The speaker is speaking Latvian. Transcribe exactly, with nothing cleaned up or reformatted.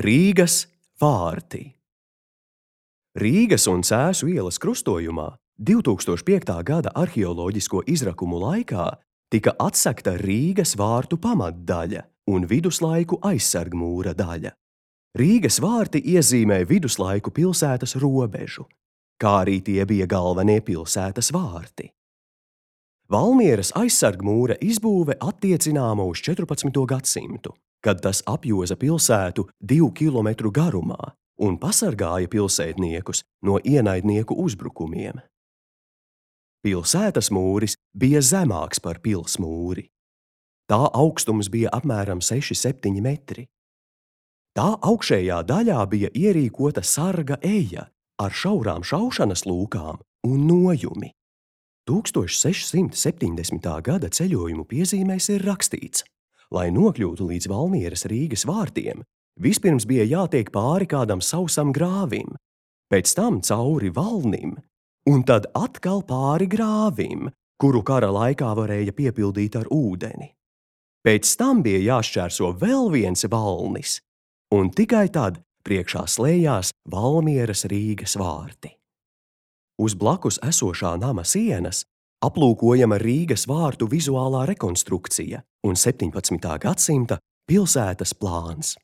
Rīgas vārti. Rīgas un Cēsu ielas krustojumā divtūkstoš piektā gada arheoloģisko izrakumu laikā tika atsekta Rīgas vārtu pamatdaļa un viduslaiku aizsargmūra daļa. Rīgas vārti iezīmē viduslaiku pilsētas robežu, kā arī tie bija galvenie pilsētas vārti. Valmieras aizsargmūra izbūve attiecināma uz četrpadsmito gadsimtu, kad tas apjoza pilsētu divu kilometru garumā un pasargāja pilsētniekus no ienaidnieku uzbrukumiem. Pilsētas mūris bija zemāks par pils mūri. Tā augstums bija apmēram seši septiņi metri. Tā augšējā daļā bija ierīkota sarga eja ar šaurām šaušanas lūkām un nojumi. tūkstoš sešsimt septiņdesmitā gada ceļojumu piezīmēs ir rakstīts: lai nokļūtu līdz Valmieras Rīgas vārtiem, vispirms bija jātiek pāri kādam sausam grāvim, pēc tam cauri valnim, un tad atkal pāri grāvim, kuru kara laikā varēja piepildīt ar ūdeni. Pēc tam bija jāšķērso vēl viens valnis, un tikai tad priekšā slēdzās Valmieras Rīgas vārti. Uz blakus esošā nama sienas aplūkojama Rīgas vārtu vizuālā rekonstrukcija un septiņpadsmitā gadsimta pilsētas plāns.